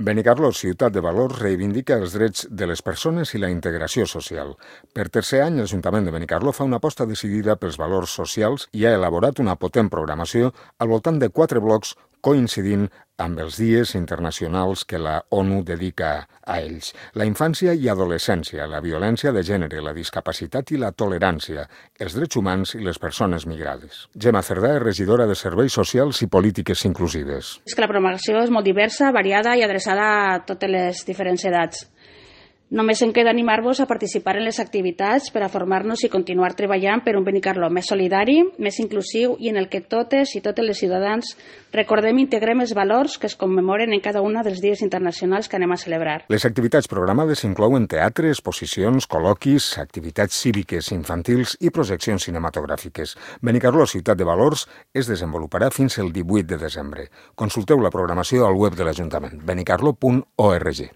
Benicarló, ciutat de valors, reivindica els drets de les persones i la integració social. Per tercer any, l'Ajuntament de Benicarló fa una aposta decidida pels valors socials i ha elaborat una potent programació al voltant de 4 blocs coincidint amb els dies internacionals que la ONU dedica a ells. La infància i adolescència, la violència de gènere, la discapacitat i la tolerància, els drets humans i les persones migrades. Gemma Cerdà és regidora de Serveis Socials i Polítiques Inclusives. És que la programació és molt diversa, variada i adreçada a totes les diferents edats. Només em queda animar-vos a participar en les activitats per a formar-nos i continuar treballant per un Benicarló més solidari, més inclusiu i en el que totes i totes les ciutadans recordem i integrem els valors que es commemoren en cada un dels dies internacionals que anem a celebrar. Les activitats programades inclouen teatre, exposicions, col·loquis, activitats cíviques infantils i projeccions cinematogràfiques. Benicarló, ciutat de valors, es desenvoluparà fins el 18 de desembre. Consulteu la programació al web de l'Ajuntament, benicarló.org.